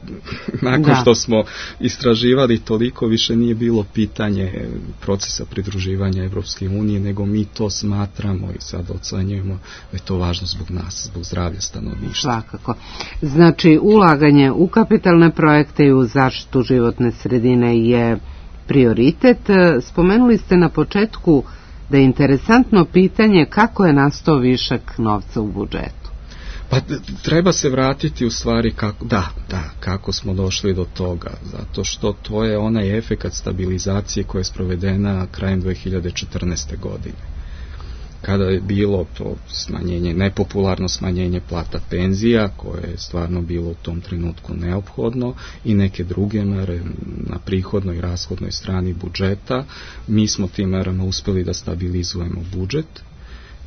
nakon što smo istraživali toliko, više nije bilo pitanje procesa pridruživanja Evropske unije, nego mi to smatramo i sad ocenjujemo da je to važno zbog nas, zbog zdravlja stanovništva. Svakako. Znači, ulaganje u kapitalne projekte i u zaštitu životne sredine je prioritet. Spomenuli ste na početku da je interesantno pitanje kako je nastao višak novca u budžetu. Pa treba se vratiti u stvari kako smo došli do toga, zato što to je onaj efekat stabilizacije koja je sprovedena krajem 2014. godine. Kada je bilo to smanjenje, nepopularno smanjenje plata penzija, koje je stvarno bilo u tom trenutku neophodno, i neke druge mere na prihodnoj i rashodnoj strani budžeta, mi smo tim merama uspeli da stabilizujemo budžet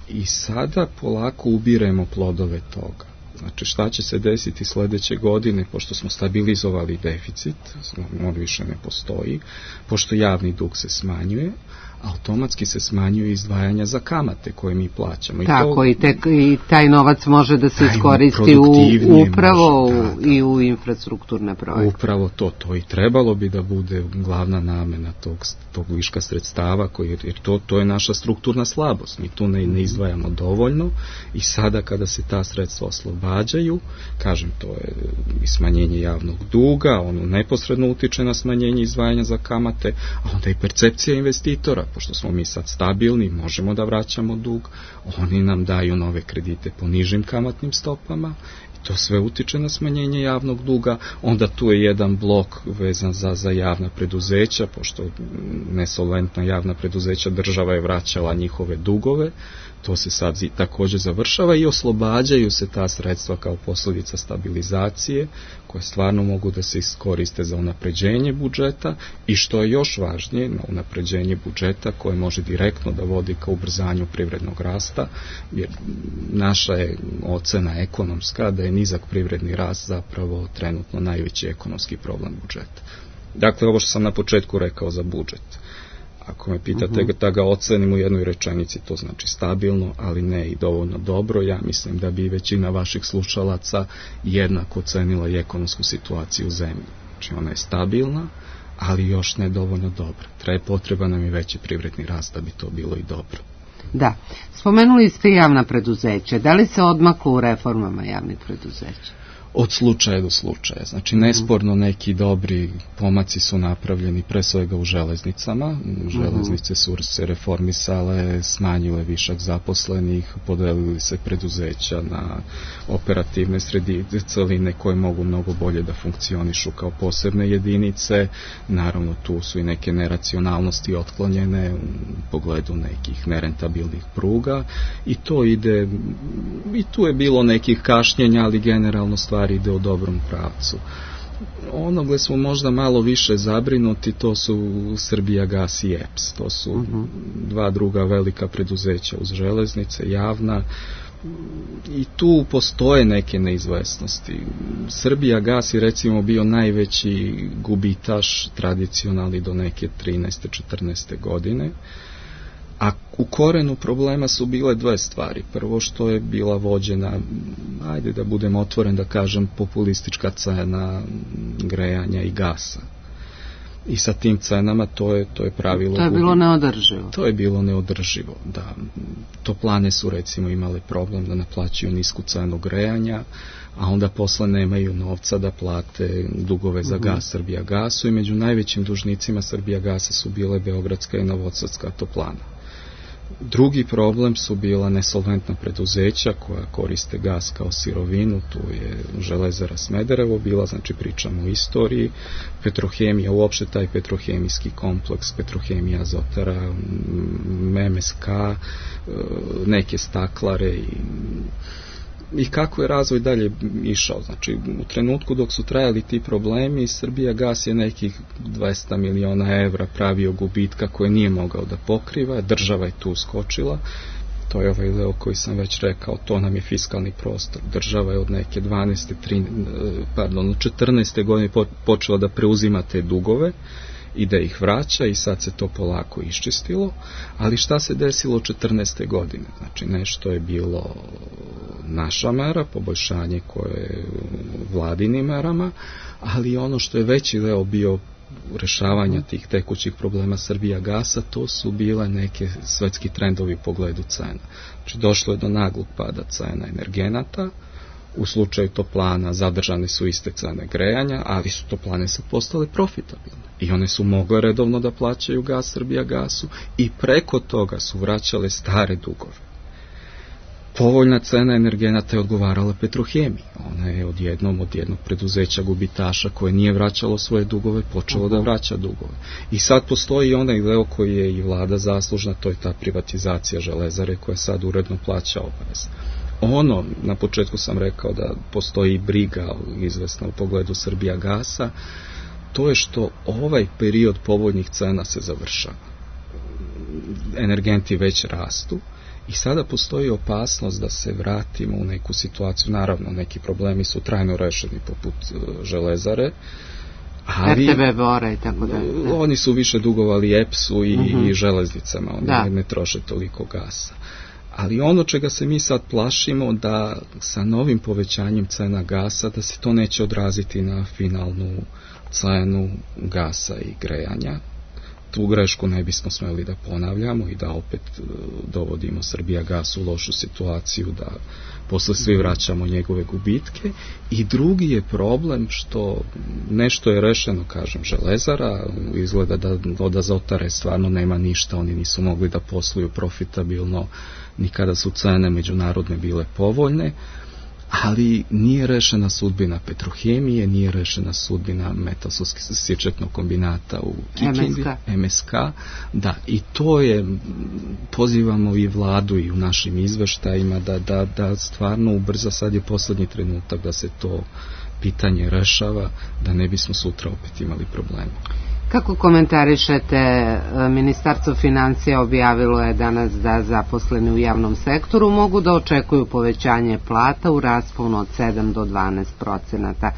i sada polako ubiremo plodove toga. Znači, šta će se desiti sledeće godine, pošto smo stabilizovali deficit, on više ne postoji, pošto javni dug se smanjuje, automatski se smanjuju izdvajanja za kamate koje mi plaćamo. Tako, i taj novac može da se iskoristi upravo i u infrastrukturne projekte. Upravo to i trebalo bi da bude glavna namena tog viška sredstava, jer to je naša strukturna slabost. Mi tu ne izdvajamo dovoljno, i sada kada se ta sredstva oslobađaju, kažem, to je i smanjenje javnog duga, ono neposredno utiče na smanjenje izdvajanja za kamate, a onda i percepcija investitora, pošto smo mi sad stabilni, možemo da vraćamo dug, oni nam daju nove kredite po nižim kamatnim stopama, i to sve utiče na smanjenje javnog duga. Onda tu je jedan blok vezan za javna preduzeća, pošto nesolventna javna preduzeća, država je vraćala njihove dugove, to se sad također završava i oslobađaju se ta sredstva kao posljedica stabilizacije, koje stvarno mogu da se iskoriste za unapređenje budžeta, i što je još važnije, na unapređenje budžeta koje može direktno da vodi ka ubrzanju privrednog rasta, jer naša je ocena ekonomska da je nizak privredni rast zapravo trenutno najveći ekonomski problem budžeta. Dakle, ovo što sam na početku rekao za budžet. Ako me pitate da ga ocenim u jednoj rečenici, to znači stabilno, ali ne i dovoljno dobro. Ja mislim da bi većina vaših slušalaca jednako ocenila i ekonomsku situaciju u zemlji. Znači ona je stabilna, ali još ne dovoljno dobra. Potreba nam je veći privredni rast da bi to bilo i dobro. Da. Spomenuli ste javna preduzeća. Da li se odmaklo u reformama javnih preduzeća? Od slučaja do slučaja. Znači, nesporno neki dobri pomaci su napravljeni pre svega u železnicama. Železnice su se reformisale, smanjile višak zaposlenih, podelili se preduzeća na operativne celine koje mogu mnogo bolje da funkcionišu kao posebne jedinice. Naravno, tu su i neke neracionalnosti otklonjene u pogledu nekih nerentabilnih pruga i to ide, i tu je bilo nekih kašnjenja, ali generalno stvari ide u dobrom pravcu. Ono gdje smo možda malo više zabrinuti, to su Srbijagas i EPS. To su dva druga velika preduzeća uz železnice, javna, i tu postoje neke neizvesnosti. Srbijagas je recimo bio najveći gubitaš tradicionalni do neke 13. 14. godine. A u korenu problema su bile dve stvari. Prvo, što je bila vođena, ajde da budem otvoren da kažem, populistička cena grejanja i gasa. I sa tim cenama to je pravilo. To je bilo neodrživo. To je bilo neodrživo, da. Toplane su recimo imale problem da naplaćuju nisku cenu grejanja, a onda posle nemaju novca da plate dugove za gas Srbijagasu i među najvećim dužnicima Srbijagasa su bile Beogradska i Novosadska toplana. Drugi problem su bila nesolventna preduzeća koja koriste gas kao sirovinu, tu je Železara Smederevo bila, znači pričamo o istoriji, Petrohemija, uopšte taj petrohemijski kompleks, Petrohemija Azotara, MMSK, neke staklare i kako je razvoj dalje išao. Znači, u trenutku dok su trajali ti problemi, Srbijagas je nekih 200 miliona evra pravio gubitka koje nije mogao da pokriva, država je tu skočila, to je ovaj deo koji sam već rekao, to nam je fiskalni prostor. Država je od neke 14. godine počela da preuzima te dugove i da ih vraća i sad se to polako iščistilo, ali šta se desilo 14. godine? Znači nešto je bilo naša mera, poboljšanje koje je vladinim merama, ali ono što je veći deo bio rešavanja tih tekućih problema Srbijagasa, to su bile neke svetski trendovi u pogledu cena. Znači došlo je do naglog pada cena energenata, u slučaju toplana zadržane su iste cene grejanja, ali su toplane sad postale profitabilne. I one su mogle redovno da plaćaju gas Srbijagasu i preko toga su vraćale stare dugove. Povoljna cena energenata je odgovarala Petrohemiji. Ona je od jednog preduzeća gubitaša koje nije vraćalo svoje dugove, počelo da vraća dugove. I sad postoji onaj deo koji je i vlada zaslužna, to je ta privatizacija Železare koja sad uredno plaća obaveze. Ono, na početku sam rekao da postoji briga izvesna u pogledu Srbijagasa, to je što ovaj period povoljnih cena se završava. Energenti već rastu i sada postoji opasnost da se vratimo u neku situaciju. Naravno, neki problemi su trajno rešeni poput Železare, ali RTB Bora i tako da. Oni su više dugovali EPS-u i železnicama, oni ne troše toliko gasa. Ali ono čega se mi sad plašimo, da sa novim povećanjem cena gasa, da se to neće odraziti na finalnu cenu gasa i grejanja. Tu grešku ne bismo smeli da ponavljamo i da opet dovodimo Srbijagas u lošu situaciju, da posle svi vraćamo njegove gubitke. I drugi je problem što nešto je rešeno, kažem, Železara, izgleda da od Azotare stvarno nema ništa, oni nisu mogli da posluju profitabilno ni kada su cene međunarodne bile povoljne, ali nije rešena sudbina Petrohemije, nije rešena sudbina metalsko-sječetnog kombinata u Kikindi, MSK, da, i to je, pozivamo i vladu i u našim izveštajima da stvarno ubrza, sad je poslednji trenutak da se to pitanje rešava, da ne bismo sutra opet imali problema. Kako komentarišete, Ministarstvo financija objavilo je danas da zaposleni u javnom sektoru mogu da očekuju povećanje plata u rasponu od 7 do 12%.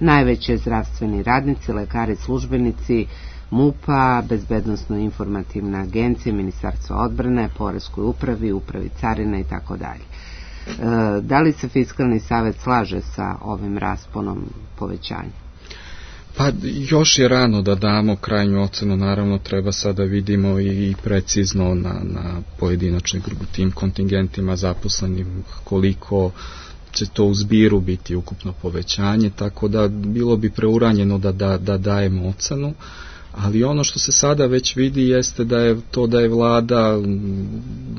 Najveći zdravstveni radnici, lekari, službenici MUP-a, Bezbednosno-informativne agencije, Ministarstva odbrane, Poreskoj upravi, Upravi carina i tako dalje. Da li se Fiskalni savet slaže sa ovim rasponom povećanja? Pa još je rano da damo krajnju ocenu, naravno treba sada vidimo i precizno na pojedinačnim tim kontingentima zaposlenim koliko će to u zbiru biti ukupno povećanje, tako da bilo bi preuranjeno da dajemo ocenu, ali ono što se sada već vidi jeste da je vlada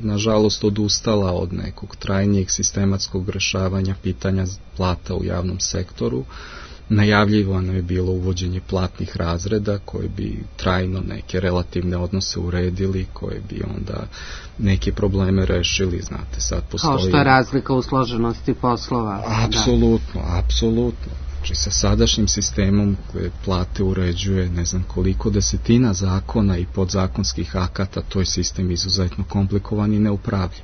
nažalost odustala od nekog trajnijeg sistematskog rešavanja pitanja plata u javnom sektoru. Najavljivano je bilo uvođenje platnih razreda koji bi trajno neke relativne odnose uredili, koji bi onda neke probleme rešili, znate, sad postoji... Kao što je razlika u složenosti poslova. Apsolutno, apsolutno. Znači sa sadašnjim sistemom koje plate uređuje ne znam koliko desetina zakona i podzakonskih akata, to je sistem izuzetno komplikovan i neupravljiv.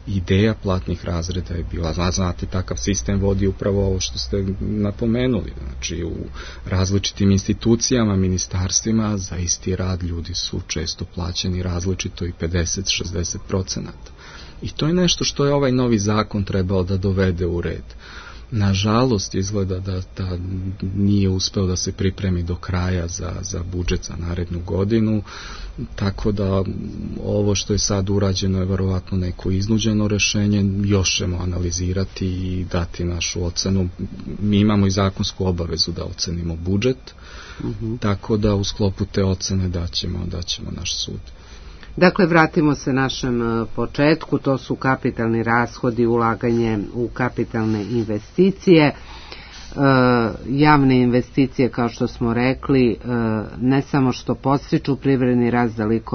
Ideja platnih razreda je bila, znate, takav sistem vodi upravo ovo što ste napomenuli, znači u različitim institucijama, ministarstvima za isti rad ljudi su često plaćeni različito i 50-60%. I to je nešto što je ovaj novi zakon trebao da dovede u red. Nažalost, izgleda da nije uspeo da se pripremi do kraja za budžet za narednu godinu, tako da ovo što je sad urađeno je verovatno neko iznuđeno rešenje, još ćemo analizirati i dati našu ocenu. Mi imamo i zakonsku obavezu da ocenimo budžet, tako da u sklopu te ocene daćemo naš sud. Dakle, vratimo se našem početku, to su kapitalni rashodi, ulaganje u kapitalne investicije. Javne investicije, kao što smo rekli, ne samo što podstiču privredni rast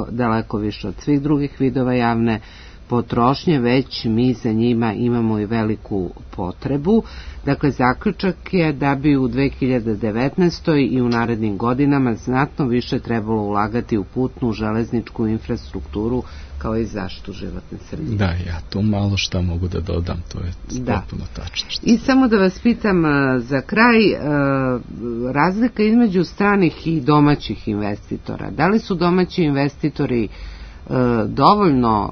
daleko više od svih drugih vidova javne potrošnje, već mi za njima imamo i veliku potrebu. Dakle, zaključak je da bi u 2019. i u narednim godinama znatno više trebalo ulagati u putnu, železničku infrastrukturu kao i zaštitu životne sredine. Da, ja to malo šta mogu da dodam, to je potpuno tačno. I samo da vas pitam za kraj, razlika između stranih i domaćih investitora. Da li su domaći investitori dovoljno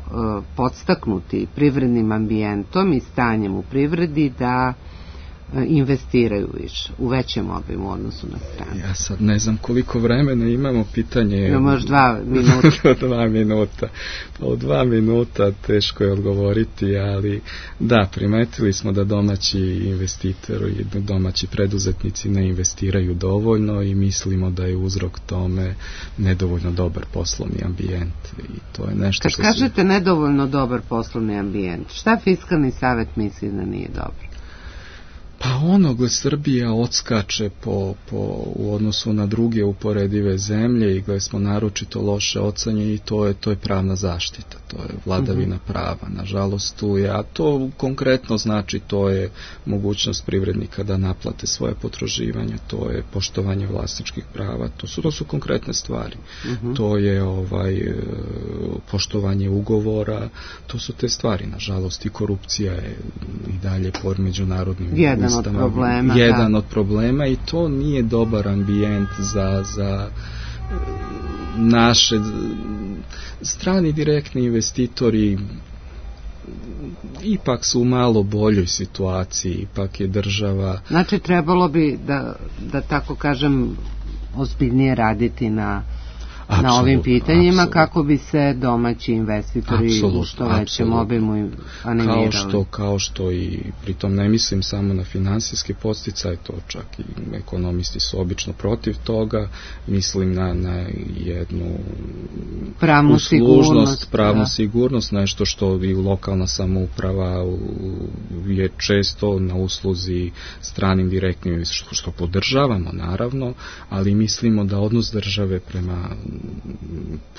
podstaknuti privrednim ambijentom i stanjem u privredi da investiraju više, u većem obimu u odnosu na strane? Ja sad ne znam koliko vremena imamo, pitanje... Imamo još 2 minuta. 2 minuta. Pa u 2 minuta teško je odgovoriti, ali da, primetili smo da domaći investitori i domaći preduzetnici ne investiraju dovoljno i mislimo da je uzrok tome nedovoljno dobar poslovni ambijent. I to je nešto što kažete nedovoljno dobar poslovni ambijent, šta Fiskalni savet misli da nije dobro? Pa gdje Srbija odskače u odnosu na druge uporedive zemlje i gdje smo naročito loše ocenjeni, i to je pravna zaštita, to je vladavina prava. Nažalost tu je, a to konkretno znači to je mogućnost privrednika da naplate svoje potraživanja, to je poštovanje vlasničkih prava, to su konkretne stvari. To je poštovanje ugovora, to su te stvari. Nažalost i korupcija je i dalje po međunarodnim jedan od problema i to nije dobar ambijent za naše strani direktni investitori. Ipak su u malo boljoj situaciji, ipak je država... Znači trebalo bi da tako kažem ozbiljnije raditi na ovim pitanjima kako bi se domaći investitori u što većem obimu animirali. Kao što i pritom ne mislim samo na finansijski podsticaj, to čak i ekonomisti su obično protiv toga, mislim na jednu pravnu sigurnost, nešto što i lokalna samouprava je često na usluzi stranim direktnim, što podržavamo naravno, ali mislimo da odnos države prema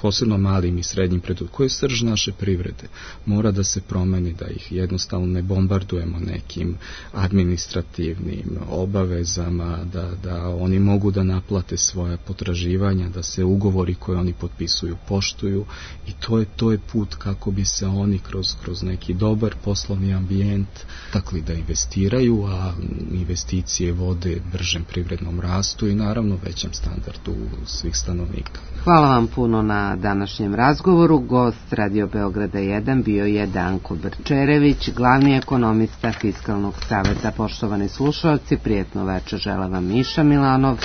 posebno malim i srednjim preduzećima, koji je srž naše privrede, mora da se promeni, da ih jednostavno ne bombardujemo nekim administrativnim obavezama, da oni mogu da naplate svoja potraživanja, da se ugovori koje oni potpisuju poštuju, i to je put kako bi se oni kroz neki dobar poslovni ambijent takli da investiraju, a investicije vode bržem privrednom rastu i naravno većem standardu svih stanovnika. Hvala vam puno na današnjem razgovoru. Gost Radio Beograda 1 bio je Danko Brčerević, glavni ekonomista Fiskalnog saveta. Poštovani slušalci, prijetno večer žele vam Miša Milanov,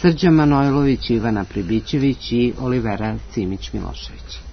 Srđan Manojlović, Ivana Pribićević i Olivera Simić Milošević.